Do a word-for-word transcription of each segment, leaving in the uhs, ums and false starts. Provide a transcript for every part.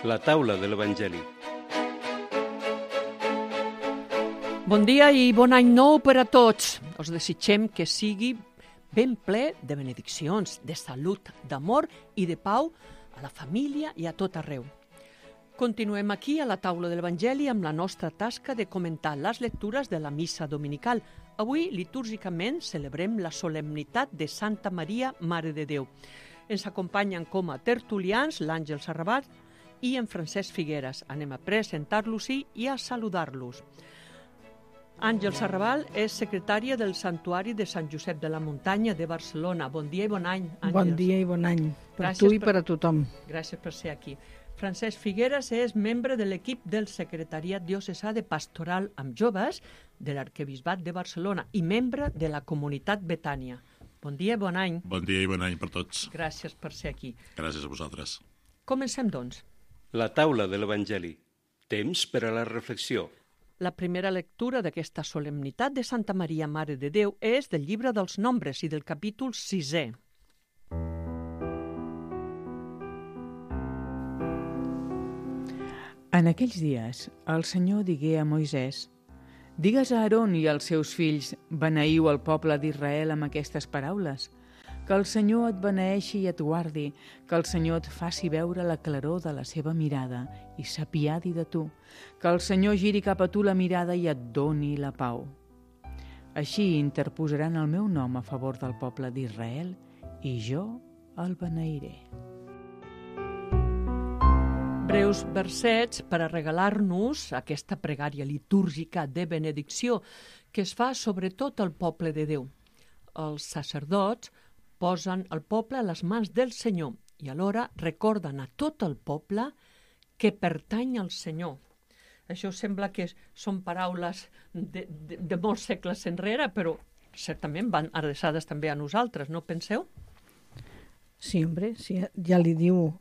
La taula de l'Evangeli. Bon dia i bon any nou per a tots. Us desitgem que sigui ben ple de benediccions, de salut, d'amor i de pau a la família i a tot arreu. Continuem aquí a la taula de l'Evangeli amb la nostra tasca de comentar les lectures de la missa dominical. Avui, litúrgicament, celebrem la solemnitat de Santa Maria, Mare de Déu. Ens acompanyen com a tertulians l'Àngel Sarrabat i en Francesc Figueres. Anem a presentar-los i a saludar-los. Àngel Sarrabal és secretària del Santuari de Sant Josep de la Muntanya de Barcelona. Bon dia i bon any, Àngels. Bon dia i bon any, per Gràcies tu i per... per a tothom. Gràcies per ser aquí. Francesc Figueres és membre de l'equip del Secretariat Diocesà de Pastoral amb Joves de l'Arquebisbat de Barcelona i membre de la Comunitat Betània. Bon dia i bon any. Bon dia i bon any per tots. Gràcies per ser aquí. Gràcies a vosaltres. Comencem, doncs. La taula de l'Evangeli. Temps per a la reflexió. La primera lectura d'aquesta solemnitat de Santa Maria, Mare de Déu, és del llibre dels Nombres i del capítol sisè. En aquells dies, el Senyor digué a Moisès: «Digues a Aaron i als seus fills, beneiu el poble d'Israel amb aquestes paraules. Que el Senyor et beneeixi i et guardi, que el Senyor et faci veure la claror de la seva mirada i s'apiadi de tu, que el Senyor giri cap a tu la mirada i et doni la pau. Així interposaran el meu nom a favor del poble d'Israel i jo el beneiré». Breus versets per a regalar-nos aquesta pregària litúrgica de benedicció que es fa sobretot al poble de Déu. Els sacerdots posen el poble a les mans del Senyor i alhora recorden a tot el poble que pertany al Senyor. Això sembla que són paraules de, de, de molts segles enrere, però certament van adreçades també a nosaltres, no penseu? Sí, hombre, sí, ja li diu,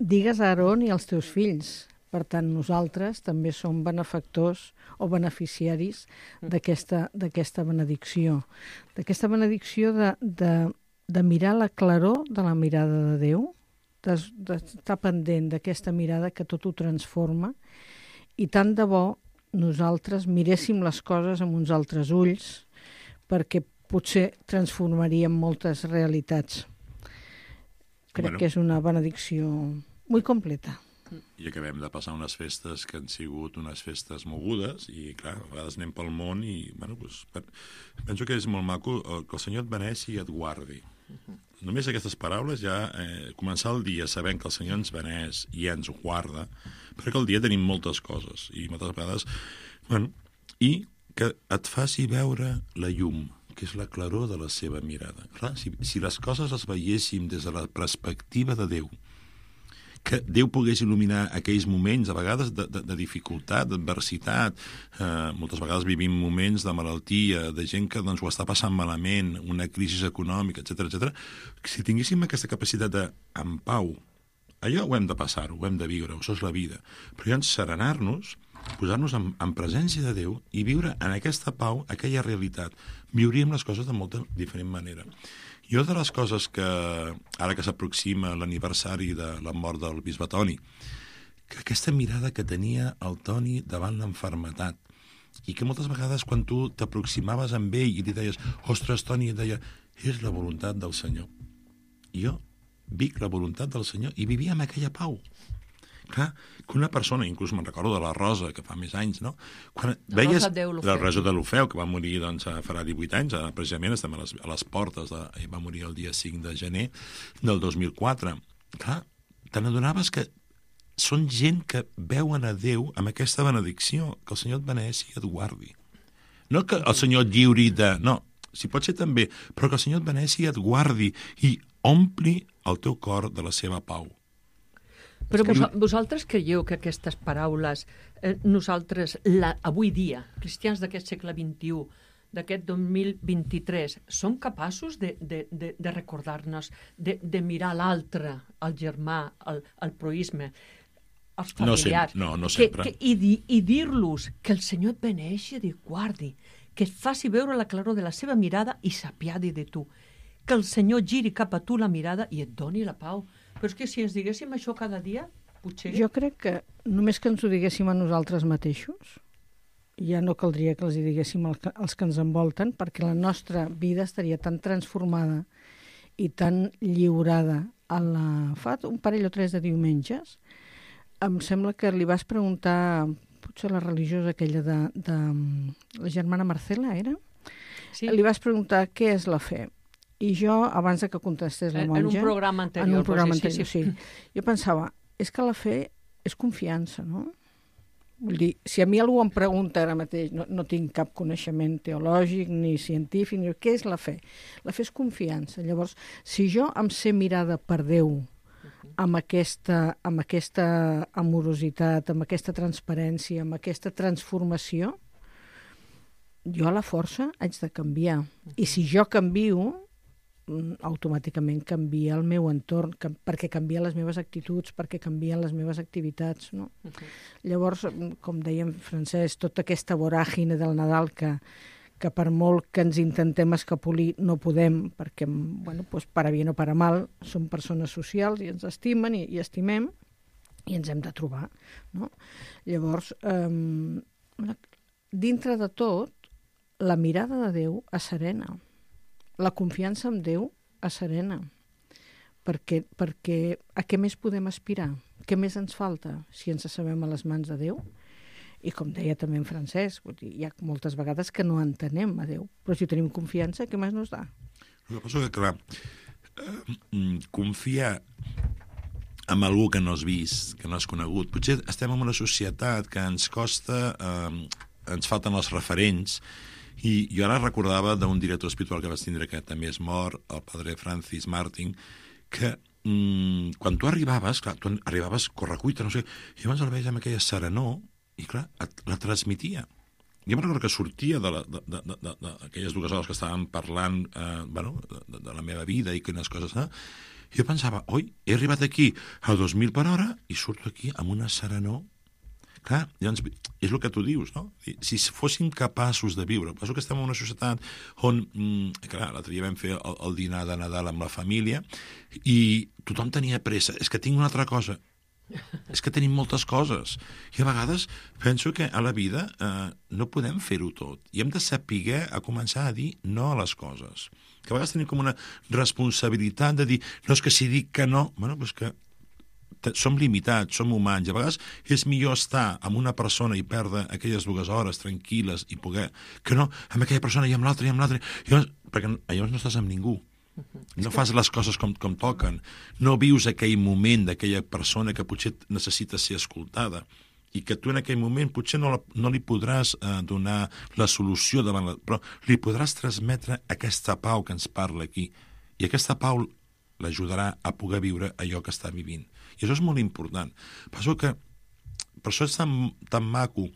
digues a Aaron i als teus fills. Per tant, nosaltres també som benefactors o beneficiaris d'aquesta d'aquesta benedicció. D'aquesta benedicció de, de, de mirar la claror de la mirada de Déu, d'estar pendent d'aquesta mirada que tot ho transforma, i tant de bo nosaltres miréssim les coses amb uns altres ulls, perquè potser transformaríem moltes realitats. Crec Bueno. que és una benedicció molt completa. I acabem de passar unes festes que han sigut unes festes mogudes i, clar, a vegades anem pel món i, bueno, doncs, per... penso que és molt maco que el Senyor et beneixi i et guardi. Uh-huh. Només aquestes paraules ja, eh, començar el dia sabent que el Senyor ens beneix i ens guarda, perquè al dia tenim moltes coses i moltes vegades, bueno, i que et faci veure la llum, que és la claror de la seva mirada. Clar, si, si les coses les veiéssim des de la perspectiva de Déu, que Déu pogués il·luminar aquells moments, a vegades de, de, de dificultat, d'adversitat, eh, moltes vegades vivim moments de malaltia, de gent que doncs, ho està passant malament, una crisi econòmica, etcètera, etcètera. Si tinguéssim aquesta capacitat de, en pau, allò ho hem de passar, ho hem de viure, això és la vida, però llavors serenar-nos, posar-nos en, en presència de Déu i viure en aquesta pau, aquella realitat. Viuríem les coses de molta diferent manera. I una de les coses que, ara que s'aproxima l'aniversari de la mort del bisbe Toni, que aquesta mirada que tenia el Toni davant l'enfermetat, i que moltes vegades quan tu t'aproximaves amb ell i li deies, ostres, Toni, et deia, és la voluntat del Senyor. I jo vic la voluntat del Senyor i vivia amb aquella pau. Clar, que una persona, inclús me'n recordo de la Rosa, que fa més anys, no? Quan la veies Rosa la Rosa de l'Ofeu, que va morir, doncs, farà divuit anys, precisament estem a les, a les portes, de, va morir el dia cinc de gener del dos mil quatre. Clar, te n'adonaves que són gent que veuen a Déu amb aquesta benedicció, que el Senyor et beneixi i et guardi. No que el Senyor et lliuri de... No, si pot ser també, però que el Senyor et beneixi i et guardi i ompli el teu cor de la seva pau. Però vos, vosaltres creieu que aquestes paraules, eh, nosaltres, la, avui dia, cristians d'aquest segle vint-i-u, d'aquest dos mil vint-i-tres, som capaços de, de, de, de recordar-nos, de, de mirar l'altre, el germà, el, el proisme, els familiars, no, sempre, no, no que, sempre. Que, i, di, i dir-los que el Senyor et beneixi i et guardi, que et faci veure la claror de la seva mirada i s'apiadi de tu, que el Senyor giri cap a tu la mirada i et doni la pau. Però és que si ens diguéssim això cada dia, potser... Jo crec que només que ens ho diguéssim a nosaltres mateixos, ja no caldria que els hi diguéssim als que ens envolten, perquè la nostra vida estaria tan transformada i tan lliurada a la... fa un parell o tres de diumenges. Em sembla que li vas preguntar, potser la religiosa aquella de, de la germana Marcela, era? Sí. Li vas preguntar què és la fe. I jo, abans de que contestés la monja... En un programa anterior. En un programa sí, anterior, sí, sí. sí. Jo pensava, és que la fe és confiança, no? Vull dir, si a mi algú em pregunta ara mateix, no, no tinc cap coneixement teològic ni científic, ni què és la fe? La fe és confiança. Llavors, si jo em sé mirada per Déu amb aquesta, amb aquesta amorositat, amb aquesta transparència, amb aquesta transformació, jo a la força haig de canviar. I si jo canvio, automàticament canvia el meu entorn, perquè canvia les meves actituds, perquè canvien les meves activitats, no? Uh-huh. Llavors, com deia en Francesc, tota aquesta voràgine del Nadal que, que per molt que ens intentem escapolir no podem, perquè, bueno, pues, para bien o para mal, som persones socials i ens estimen i, i estimem i ens hem de trobar, no? Llavors, eh, dintre de tot, la mirada de Déu asserena. La confiança en Déu asserena. Perquè, perquè a què més podem aspirar? Què més ens falta si ens sabem a les mans de Déu? I com deia també en Francesc, vull dir, hi ha moltes vegades que no entenem a Déu, però si tenim confiança, què més nos da? El que passa que, clar, eh, confiar en algú que no has vist, que no has conegut, potser estem en una societat que ens costa, eh, ens falten els referents. I jo ara recordava d'un director espiritual que vaig tindre, que també és mort, el padre Francis Martin, que mm, quan tu arribaves, clar, tu arribaves correcuita, no sé, i llavors el veies amb aquella serenor, i clar, et, la transmitia. Jo em recordo que sortia d'aquelles dues hores que estàvem parlant eh, bueno, de, de la meva vida i quines coses, eh? I jo pensava, oi, he arribat aquí a dos mil per hora i surto aquí amb una serenor. Clar, llavors, és el que tu dius, no? Si fóssim capaços de viure, penso que estem en una societat on, mm, clar, l'altre dia vam fer el, el dinar de Nadal amb la família i tothom tenia pressa. És que tinc una altra cosa. És que tenim moltes coses. I a vegades penso que a la vida eh, no podem fer-ho tot. I hem de saber a començar a dir no a les coses. Que a vegades tenim com una responsabilitat de dir, no, és que si dic que no, bueno, doncs que som limitats, som humans, i a vegades és millor estar amb una persona i perdre aquelles dues hores tranquil·les i poder, que no, amb aquella persona i amb l'altra i amb l'altra, perquè llavors no estàs amb ningú. No fas les coses com, com toquen, no vius aquell moment d'aquella persona que potser necessita ser escoltada i que tu en aquell moment potser no, la, no li podràs eh, donar la solució davant la, però li podràs transmetre aquesta pau que ens parla aquí, i aquesta pau l'ajudarà a poder viure allò que està vivint. I això és molt important. Penso que per això és tan, tan maco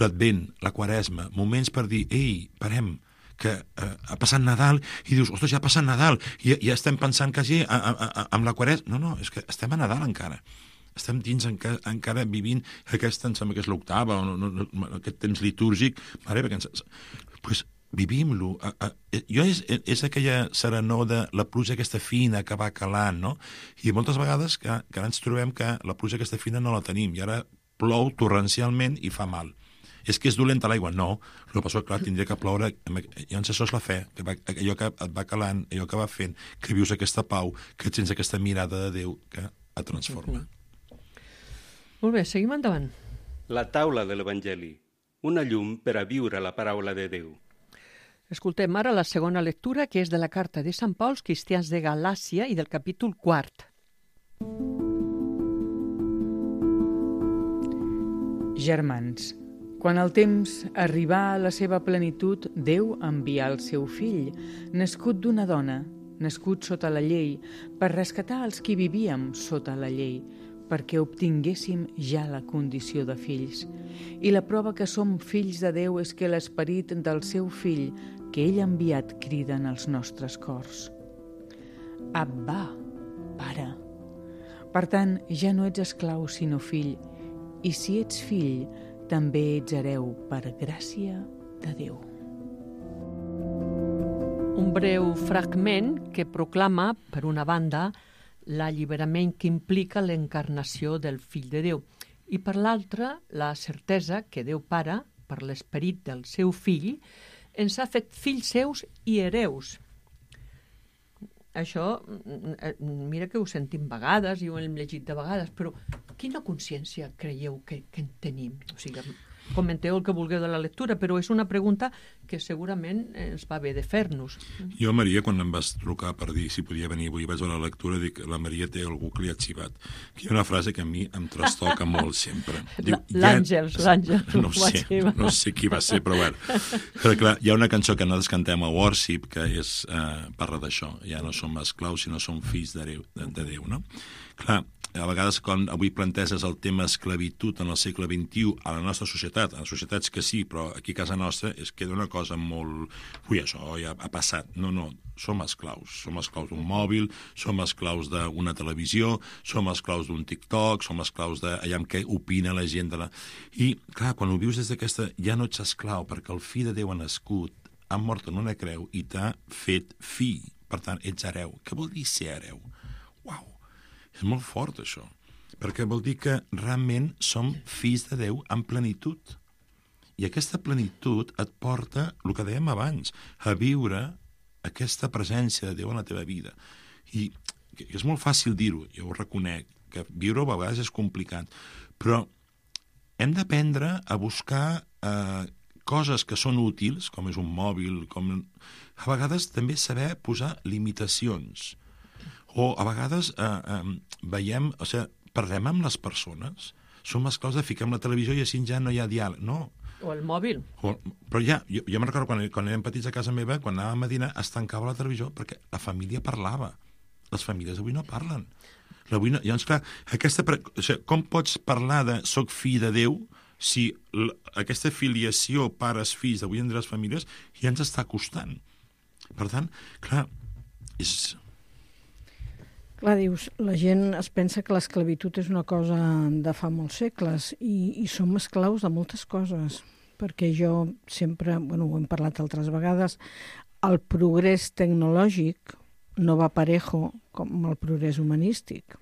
l'Advent, la Quaresma, moments per dir, ei, parem, que eh, ha passat Nadal, i dius, ostres, ja ha passat Nadal, i ja estem pensant quasi a, a, a, amb la Quaresma. No, no, és que estem a Nadal encara. Estem dins encara, encara vivint aquesta, em sembla que és l'octava, no, no, no, aquest temps litúrgic, mare, perquè ens... Pues, vivim-lo. Jo és, és aquella serenor de la pluja aquesta fina que va calant, no? I moltes vegades que, que ens trobem que la pluja aquesta fina no la tenim, i ara plou torrencialment i fa mal. És que és dolenta l'aigua? No. El que passa, clar, tindria que ploure. Llavors això és la fe, que va, allò que et va calant, allò que va fent, que vius aquesta pau, que tens aquesta mirada de Déu que et transforma. Molt bé, seguim endavant. La taula de l'Evangeli, una llum per a viure la paraula de Déu. Escoltem ara la segona lectura, que és de la carta de Sant Pau als cristians de Galàcia i del capítol quart. Germans, quan el temps arribà a la seva plenitud, Déu envià el seu fill, nascut d'una dona, nascut sota la llei, per rescatar els qui vivíem sota la llei, perquè obtinguéssim ja la condició de fills. I la prova que som fills de Déu és que l'esperit del seu fill, que ell ha enviat, crida en els nostres cors. Abba, pare. Per tant, ja no ets esclau sinó fill, i si ets fill, també ets hereu per gràcia de Déu. Un breu fragment que proclama, per una banda, l'alliberament que implica l'encarnació del fill de Déu. I per l'altra, la certesa que Déu Pare, per l'esperit del seu fill, ens ha fet fills seus i hereus. Això, mira que ho sentim vegades i ho hem llegit de vegades, però quina consciència creieu que, que en tenim? O sigui, comenteu el que vulgueu de la lectura, però és una pregunta que segurament ens va bé de fer-nos. Jo, Maria, quan em vas trucar per dir si podia venir avui, vaig a la lectura, dic, la Maria té algú que li ha xivat. Hi ha una frase que a mi em trastoca molt sempre. L'Àngels, l'Àngels. No sé, no sé qui va ser, però bueno. Però clar, hi ha una cançó que nosaltres cantem a Worship que és, eh, parla d'això. Ja no som esclaus, sinó som fills de Déu, de, de Déu, no? Clar, a vegades quan avui planteges el tema esclavitud en el segle vint-i-u a la nostra societat, a les societats que sí, però aquí a casa nostra es queda una cosa molt... Ui, això ja ha passat. No, no, som esclaus. Som esclaus d'un mòbil, som esclaus d'una televisió, som esclaus d'un TikTok, som esclaus d'allà amb què opina la gent de la... I, clar, quan ho vius des d'aquesta... Ja no ets esclau, perquè el fill de Déu ha nascut, ha mort en una creu i t'ha fet fill. Per tant, ets hereu. Què vol dir ser hereu? Uau! És molt fort, això, perquè vol dir que realment som fills de Déu en plenitud. I aquesta plenitud et porta, el que dèiem abans, a viure aquesta presència de Déu en la teva vida. I és molt fàcil dir-ho, jo ho reconec, que viure-ho a vegades és complicat, però hem d'aprendre a buscar eh, coses que són útils, com és un mòbil, com... a vegades també saber posar limitacions. O a vegades eh, eh, veiem, o sigui, parlem amb les persones, som esclaus de ficar amb la televisió i així ja no hi ha diàleg, no. O el mòbil. O, però ja, jo, jo me'n recordo quan, quan érem petits a casa meva, quan anàvem a dinar, es tancava la televisió perquè la família parlava. Les famílies avui no parlen. Avui no, llavors, clar, aquesta, o sigui, com pots parlar de soc fill de Déu si l, aquesta filiació pares-fills d'avui en les famílies ja ens està costant? Per tant, clar, és... Clar, dius, la gent es pensa que l'esclavitud és una cosa de fa molts segles i, i som esclaus de moltes coses, perquè jo sempre, bueno, ho hem parlat altres vegades, el progrés tecnològic no va parejo com el progrés humanístic.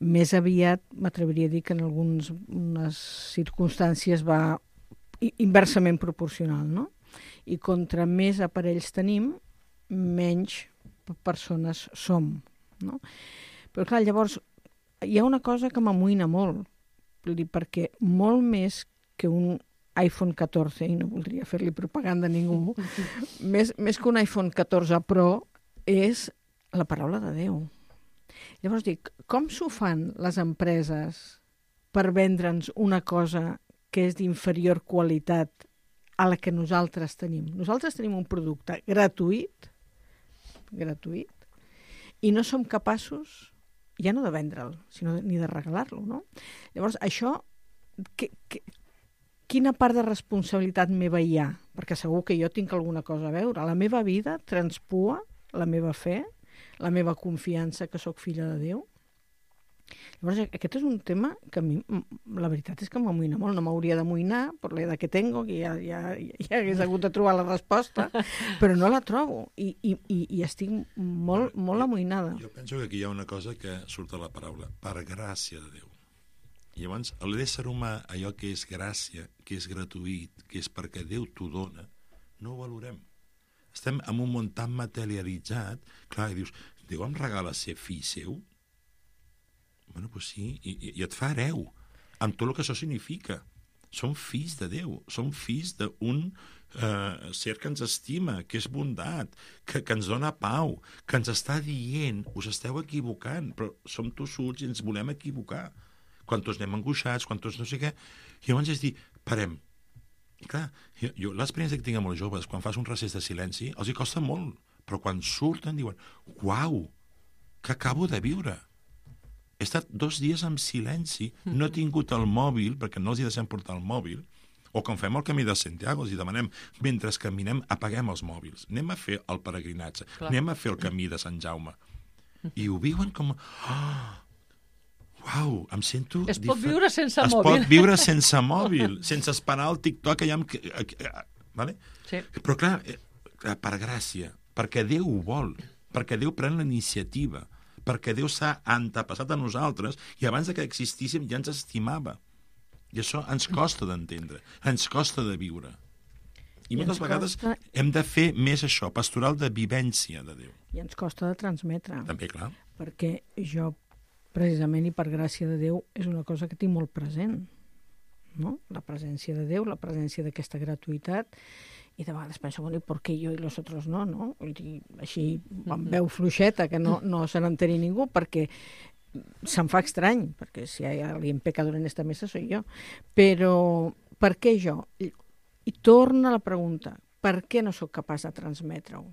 Més aviat, m'atreviria a dir que en algunes circumstàncies va inversament proporcional, no? I contra més aparells tenim, menys persones som, no? Però clar, llavors hi ha una cosa que m'amoïna molt, perquè molt més que un iPhone catorze, i no voldria fer-li propaganda a ningú, més, més que un iPhone catorze Pro és la paraula de Déu. Llavors dic, com s'ho fan les empreses per vendre'ns una cosa que és d'inferior qualitat a la que nosaltres tenim? Nosaltres tenim un producte gratuït, gratuït, i no som capaços, ja no de vendre'l, sinó de, ni de regalar-lo, no? Llavors, això, que, que, quina part de responsabilitat meva hi ha? Perquè segur que jo tinc alguna cosa a veure. La meva vida transpua la meva fe, la meva confiança que sóc filla de Déu. Llavors, aquest és un tema que a mi, la veritat és que m'amoïna molt. No m'hauria d'amoïnar per l'edat que tengo, que ja, ja, ja hagués hagut de trobar la resposta, però no la trobo i, i, i estic molt, molt amoïnada. Jo penso que aquí hi ha una cosa que surt a la paraula, per gràcia de Déu. I llavors, l'ésser humà, allò que és gràcia, que és gratuït, que és perquè Déu t'ho dona, no ho valorem. Estem en un món tan materialitzat, clar, i dius, Déu em regala ser fill seu? Bueno, doncs sí, i, i et fa hereu, amb tot el que això significa. Som fills de Déu, som fills d'un eh, ser que ens estima, que és bondat, que, que ens dona pau, que ens està dient, us esteu equivocant, però som tossuts i ens volem equivocar. Quan tots anem angoixats, quan tots no sé què. I llavors és dir, parem. I clar, jo, jo l'experiència que tinc amb els joves, quan fas un recés de silenci, els hi costa molt, però quan surten diuen, uau, que acabo de viure. He estat dos dies en silenci, no he tingut el mòbil, perquè no els hi deixem portar el mòbil, o quan fem el camí de Santiago, els hi demanem, mentre caminem, apaguem els mòbils, anem a fer el peregrinatge, clar, anem a fer el camí de Sant Jaume. I ho viuen com... Oh, uau, em sento... Es pot difer... viure sense es mòbil. Es pot viure sense mòbil, sense esperar el TikTok allà amb... Vale? Sí. Però clar, per gràcia, perquè Déu ho vol, perquè Déu pren la iniciativa, perquè Déu s'ha antepassat a nosaltres i abans de que existíssim ja ens estimava. I això ens costa d'entendre, ens costa de viure. I, I moltes vegades costa... hem de fer més això, pastoral de vivència de Déu. I ens costa de transmetre. També, clar. Perquè jo, precisament i per gràcia de Déu, és una cosa que tinc molt present. No? La presència de Déu, la presència d'aquesta gratuïtat, i de vegades penso, bueno, i per què jo i los otros no? no? I així, amb veu fluixeta, que no, no se n'enteri ningú, perquè se'm fa estrany, perquè si hi ha alguien pecador en esta mesa soy jo. Però per què jo? I, i torna la pregunta, per què no sóc capaç de transmetre-ho?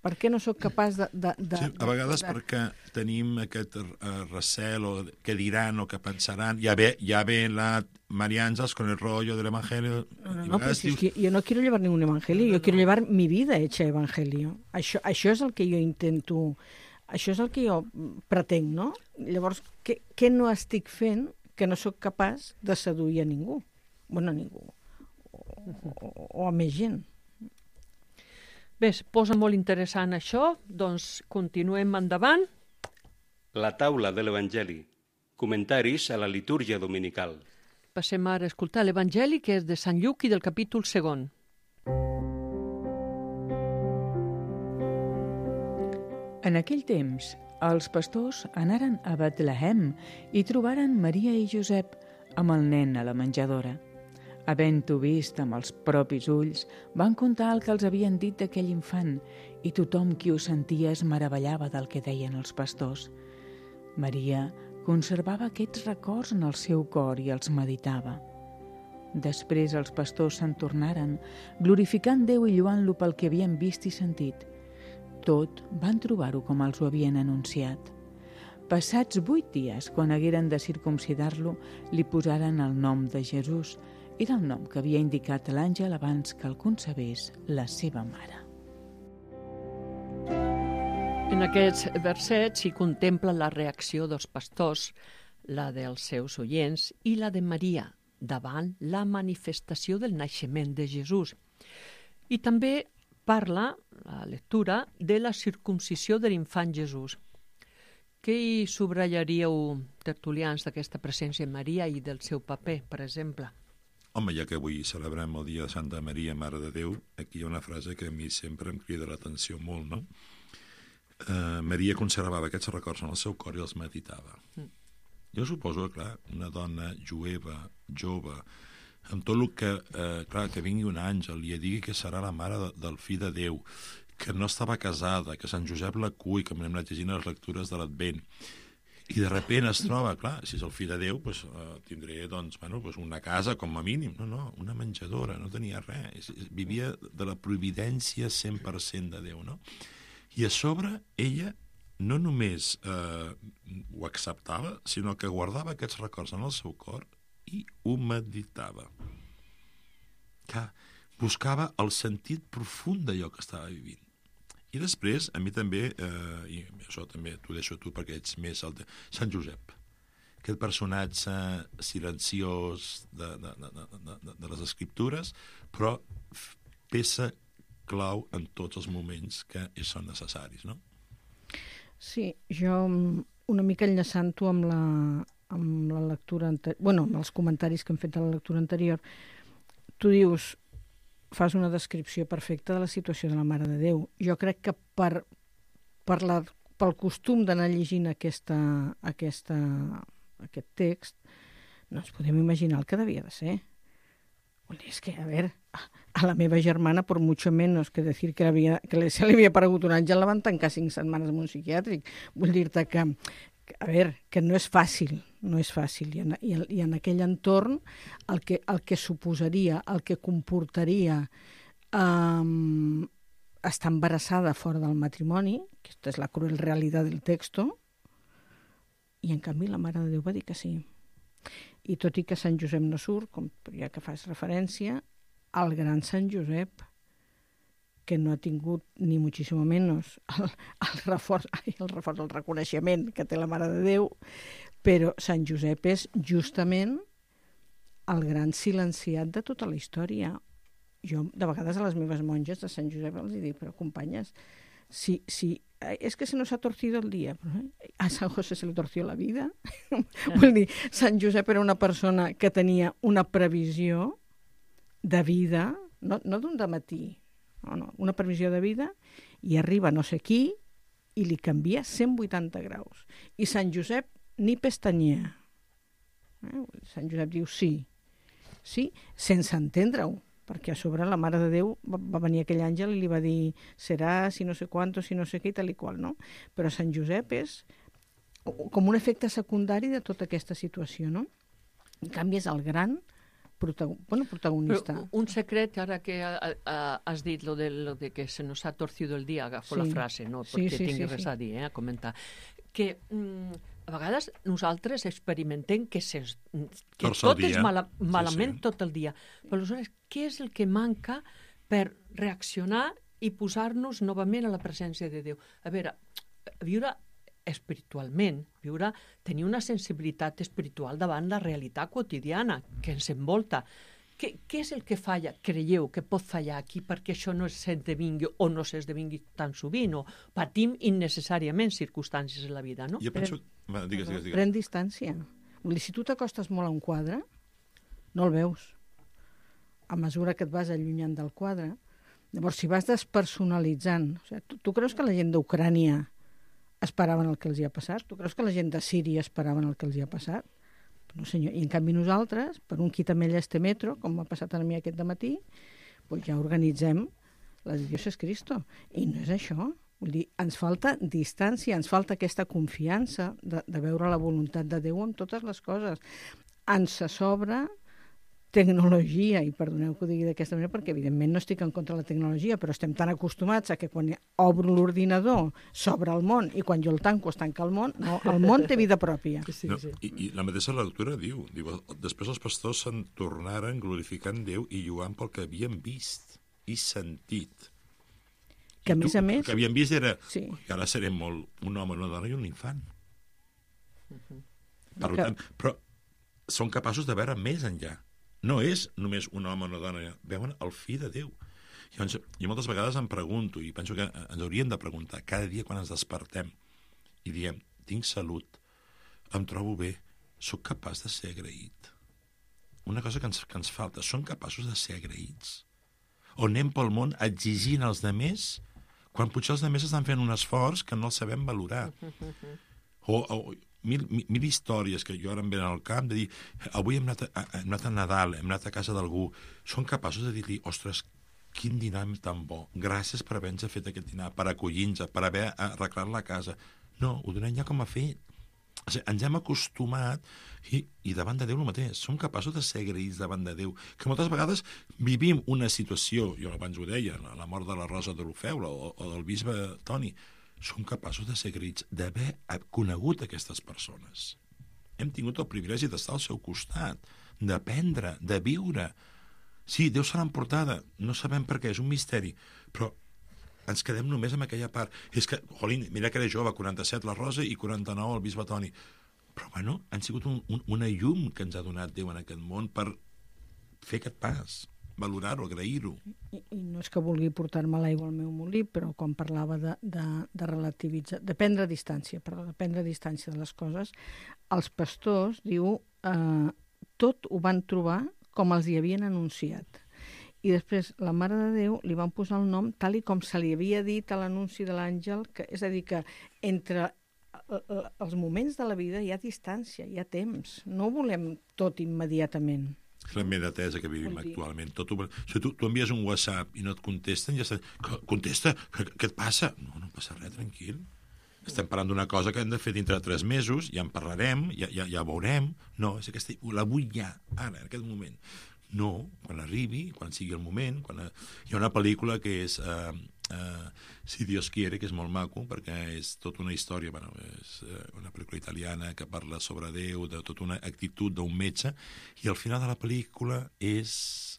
Per què no sóc capaç de... de, de sí, a vegades de, de... perquè tenim aquest uh, recel o què diran o què pensaran. Ja ve, ja ve la María Ángeles con el rollo del evangelio. No, no, no, però si dius... es que yo no quiero llevar ningún evangelio, no, no, yo quiero no. llevar mi vida hecha evangelio. Això, això és el que jo intento, això és el que jo pretenc, no? Llavors, què, què no estic fent que no sóc capaç de seduir a ningú? Bueno, a ningú. O, o, o a més gent. Bé, es posa molt interessant això, doncs continuem endavant. La taula de l'Evangeli. Comentaris a la litúrgia dominical. Passem ara a escoltar l'Evangeli, que és de Sant Lluc i del capítol segon. En aquell temps, els pastors anaren a Betlehem i trobaren Maria i Josep amb el nen a la menjadora. Havent-ho vist amb els propis ulls, van contar el que els havien dit d'aquell infant i tothom qui ho sentia es meravellava del que deien els pastors. Maria conservava aquests records en el seu cor i els meditava. Després els pastors se'n tornaren, glorificant Déu i lloant-lo pel que havien vist i sentit. Tot van trobar-ho com els ho havien anunciat. Passats vuit dies, quan hagueren de circumcidar-lo, li posaren el nom de Jesús. Era el nom que havia indicat l'àngel abans que el concebés la seva mare. En aquests versets s'hi contempla la reacció dels pastors, la dels seus oients i la de Maria davant la manifestació del naixement de Jesús. I també parla, la lectura, de la circumcisió de l'infant Jesús. Què hi subratllaríeu, tertulians, d'aquesta presència de Maria i del seu paper, per exemple? Home, ja que avui celebrem el dia de Santa Maria, Mare de Déu, aquí hi ha una frase que a mi sempre em crida l'atenció molt, no? Uh, Maria conservava aquests records en el seu cor i els meditava. Mm. Jo suposo que, clar, una dona jueva, jove, amb tot el que, eh, clar, que vingui un àngel i digui que serà la mare de, del fill de Déu, que no estava casada, que Sant Josep la cull, que m'hem anat llegint les lectures de l'Advent, i de repent es troba, clar, si és el fill de Déu, pues, uh, tindré doncs, bueno, pues una casa com a mínim. No, no, una menjadora, no tenia res. Vivia de la providència cent per cent de Déu, no? I a sobre, ella no només eh, ho acceptava, sinó que guardava aquests records en el seu cor i ho meditava. Que buscava el sentit profund d'allò que estava vivint. I després, a mi també, eh, i això també t'ho deixo a tu perquè ets més el de Sant Josep, aquest personatge silenciós de, de, de, de, de, de les escriptures, però peça clau en tots els moments que són necessaris, no? Sí, jo una mica enllaçant-ho amb la, amb la lectura anterior, bueno, amb els comentaris que hem fet a la lectura anterior, tu dius, fas una descripció perfecta de la situació de la Mare de Déu. Jo crec que per, per la, pel costum d'anar llegint aquesta, aquesta, aquest text, no ens podem imaginar el que devia de ser. És que, a veure, a la meva germana, per mucho menos que decir que, havia, que se li havia aparegut un àngel, la van tancar cinc setmanes en un psiquiàtric. Vull dir-te que, que, a veure, que no és fàcil, no és fàcil. I en, i en, i en aquell entorn el que, el que suposaria, el que comportaria um, estar embarassada fora del matrimoni, que aquesta és la cruel realitat del texto, i en canvi la Mare de Déu va dir que sí. I tot i que Sant Josep no surt, com ja que fas referència, el gran Sant Josep, que no ha tingut ni moltíssim menys el, el, reforç, ai, el reforç, el reconeixement que té la Mare de Déu, però Sant Josep és justament el gran silenciat de tota la història. Jo, de vegades, a les meves monges de Sant Josep els dic, però companyes, si, si, es que se nos ha torcido el dia. A Sant José se li torció la vida. Vull dir, Sant Josep era una persona que tenia una previsió de vida, no, no d'un dematí, no, no, una previsió de vida, i arriba no sé qui i li canvia cent vuitanta graus. I Sant Josep ni pestanyea. Eh? Sant Josep diu sí, sí, sense entendre-ho, perquè a sobre la Mare de Déu va, va venir aquell àngel i li va dir serà si no sé quanto, si no sé què i tal i qual, no? Però Sant Josep és com un efecte secundari de tota aquesta situació, no? En canvi és el gran protagon... bueno, protagonista. Però un secret, ara que a, a, has dit lo de, lo de que se nos ha torcido el día, agafo Sí. la frase, no Sí, perquè sí, tingui sí, res sí. a dir, eh, a comentar, que mm, a vegades nosaltres experimentem que, se, que Torça el tot és dia. mala, malament Sí, sí. tot el dia. Però aleshores, què és el que manca per reaccionar i posar-nos novament a la presència de Déu? A veure, viure espiritualment, viure, tenir una sensibilitat espiritual davant la realitat quotidiana que ens envolta. Què, què és el que falla, creieu, que pot fallar aquí perquè això no s'esdevingui o no s'esdevingui tan sovint o patim innecessàriament circumstàncies en la vida, no? Jo penso... Va, digues, digues, digues. Pren distància. Vull dir, si tu t'acostes molt a un quadre, no el veus. A mesura que et vas allunyant del quadre, llavors si vas despersonalitzant, o sigui, tu, tu creus que la gent d'Ucrània esperaven el que els hi ha passat? Tu creus que la gent de Síria esperaven el que els hi ha passat? No, senyor. I en canvi nosaltres, per un quitamella este metro, com m'ha passat a mi aquest dematí, doncs ja organitzem la de Dios es Cristo. I no és això. Vull dir, ens falta distància, ens falta aquesta confiança de, de veure la voluntat de Déu en totes les coses. Ens sobra tecnologia, i perdoneu que ho digui d'aquesta manera, perquè evidentment no estic en contra de la tecnologia, però estem tan acostumats a que quan obro l'ordinador s'obre el món i quan jo el tanco es tanca el món. No, el món té vida pròpia. Sí, No, sí. i, I la mateixa lectura diu, diu, després els pastors se'n tornaren glorificant Déu i lluant pel que havien vist i sentit. Que a I més tu, a més... El que havien vist era, Sí. que ara serem molt un home, una dona i un infant. Per Que- tant, però són capaços de veure més enllà. No és només un home o una dona, veuen el fill de Déu. Llavors, jo moltes vegades em pregunto, i penso que ens hauríem de preguntar cada dia quan ens despertem i diem, tinc salut, em trobo bé, sóc capaç de ser agraït. Una cosa que ens, que ens falta, són capaços de ser agraïts. O anem pel món exigint als demés quan potser els demés estan fent un esforç que no el sabem valorar. O, o mil, mil, mil històries que jo ara em venen al camp de dir, avui hem anat a, hem anat a Nadal, hem anat a casa d'algú, són capaços de dir-li, ostres, quin dinar tan bo, gràcies per haver-nos fet aquest dinar, per acollir-nos, per haver arreglat la casa. No, ho donem ja com a fet. O sigui, ens hem acostumat i, i davant de Déu el mateix. Som capaços de ser agraïts davant de Déu. Que moltes vegades vivim una situació, jo abans ho deia, la, la mort de la Rosa de l'Ofeu o, o del bisbe Toni, som capaços de ser agraïts, d'haver conegut aquestes persones. Hem tingut el privilegi d'estar al seu costat, d'aprendre, de viure. Sí, Déu se l'ha emportada, no sabem per què, és un misteri, però ens quedem només amb aquella part. És que, jolín, mira que era jove, quaranta-set la Rosa i quaranta-nou el bisbe Toni. Però, bueno, han sigut un, un, una llum que ens ha donat Déu en aquest món per fer aquest pas, valorar-ho, agrair-ho. I, I no és que vulgui portar-me l'aigua al meu molí, però quan parlava de, de, de relativitzar, de prendre distància, perdó, de prendre distància de les coses, els pastors, diu, eh, tot ho van trobar com els hi havien anunciat. I després la Mare de Déu li van posar el nom tal i com se li havia dit a l'anunci de l'àngel, que, és a dir, que entre els moments de la vida hi ha distància, hi ha temps. No ho volem tot immediatament. És la immediatesa que vivim Vol dir- actualment. Tot ho... Si tu, tu envies un WhatsApp i no et contesten, ja saps, contesta, què, què et passa? No, no passa res, tranquil. Estem parlant d'una cosa que hem de fer dintre de tres mesos, ja en parlarem, ja, ja, ja veurem. No, és aquesta, la vull ja, ara, en aquest moment. No, quan arribi, quan sigui el moment. Quan... Hi ha una pel·lícula que és uh, uh, Si Dios quiere, que és molt maco, perquè és tota una història, bueno, és uh, una pel·lícula italiana que parla sobre Déu, de tota una actitud d'un metge, i al final de la pel·lícula és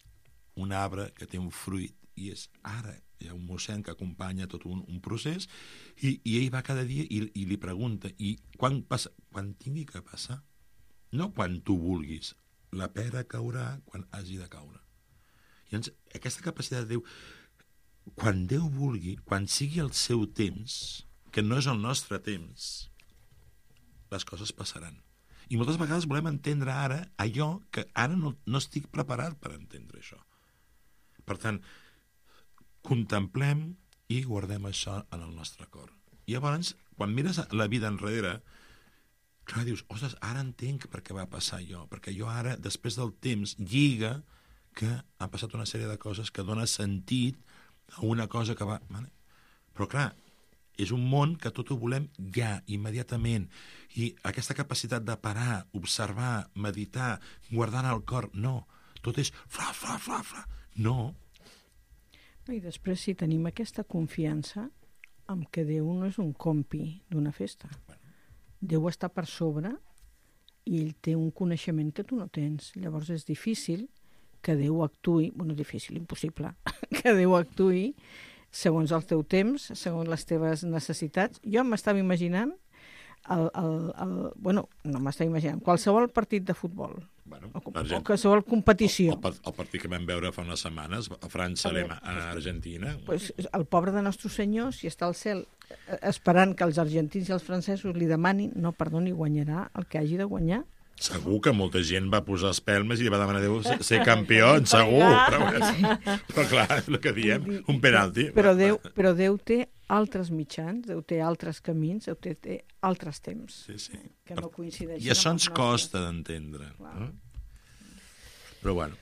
un arbre que té un fruit, i és ara. Hi ha un mossèn que acompanya tot un, un procés, i, i ell va cada dia i, i li pregunta, i quan, passa, quan tingui que passar? No quan tu vulguis. La pera caurà quan hagi de caure. I llavors, aquesta capacitat de Déu, quan Déu vulgui, quan sigui el seu temps, que no és el nostre temps, les coses passaran. I moltes vegades volem entendre ara allò que ara no, no estic preparat per entendre això. Per tant, contemplem i guardem això en el nostre cor. I llavors, quan mires la vida enrere, clar, dius, ostres, ara entenc per què va passar allò, perquè jo ara, després del temps, lliga que han passat una sèrie de coses que dona sentit a una cosa que va... Però clar, és un món que tot ho volem ja, immediatament, i aquesta capacitat de parar, observar, meditar, guardar en el cor, no, tot és fra, fra, fra, fra, no. I després, si tenim aquesta confiança en que Déu no és un compi d'una festa, Déu està per sobre i ell té un coneixement que tu no tens. Llavors és difícil que Déu actuï, bueno, difícil, impossible, que Déu actuï segons el teu temps, segons les teves necessitats. Jo m'estava imaginant, el, el, el, bueno, no m'estava imaginant, qualsevol partit de futbol, Bueno, o, o Argent- qualsevol competició. El, el, el partit que vam veure fa unes setmanes, a França, A veure, a Argentina... Pues, el pobre de Nostre Senyor, si està al cel eh, esperant que els argentins i els francesos li demanin, no, perdoni, guanyarà el que hagi de guanyar. Segur que molta gent va posar espelmes i li va demanar a Déu ser, ser campió, segur. Però, però clar, és el que diem, un penalti. Però Déu, però Déu té altres mitjans, Déu té altres camins, Déu té, té altres temps, Sí, sí. que no coincideixen. I això amb ens els costa d'entendre. Clar. No? Però bueno,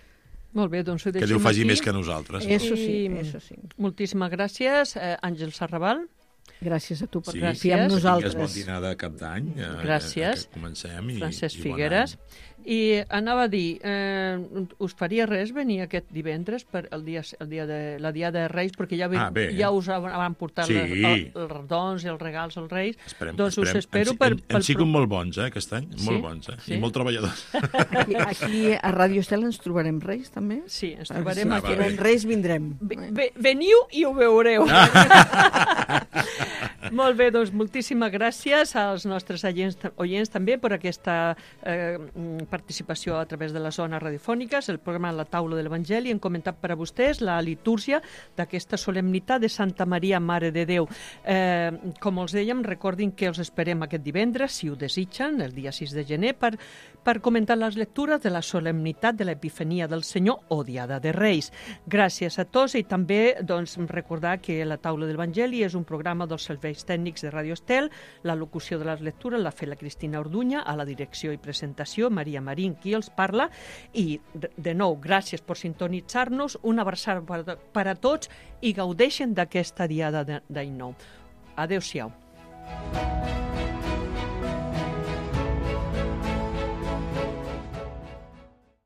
Molt bé, doncs ho que deixem Déu faci aquí. més que nosaltres. Eso sí, I- eso sí. Moltíssimes gràcies, eh, Àngel Sarrabal. Gràcies a tu per Sí. confiar en Gràcies. nosaltres. Tingues bon dinar de cap d'any. eh, Gràcies. Que comencem. I, Francesc i bon Figueres. any. I anava a dir, eh, us faria res venir aquest divendres per el dia, el dia de, la Diada de Reis, perquè ja, ve, Ah, bé. ja us van portar Sí. les, el, els dons i els regals als Reis. Esperem, doncs us esperem. espero han, per... han, pel han sigut pro- molt bons, eh, aquest any. Sí? Molt bons, eh? Sí? I molt treballadors. Aquí, aquí a Ràdio Estel ens trobarem Reis, també? Sí, ens Si trobarem Ah, va aquí. bé. queden Reis, vindrem. Ve- ve- Veniu i ho veureu. Molt bé, doncs moltíssimes gràcies als nostres oients, oients també per aquesta eh, participació a través de les zones radiofòniques, el programa La Taula de l'Evangeli. Hem comentat per a vostès la litúrgia d'aquesta solemnitat de Santa Maria, Mare de Déu. Eh, com els dèiem, recordin que els esperem aquest divendres, si ho desitgen, el dia sis de gener, per, per comentar les lectures de la solemnitat de l'Epifania del Senyor o Diada de Reis. Gràcies a tots i també doncs, recordar que La Taula de l'Evangeli és un programa dels serveis tècnics de Ràdio Estel, la locució de les lectures l'ha fet la Cristina Orduña, a la direcció i presentació Maria Marín, qui els parla, i de, de nou, gràcies per sintonitzar-nos, una abraçada per, per a tots i gaudeixen d'aquesta diada d'any nou. Adéu-siau.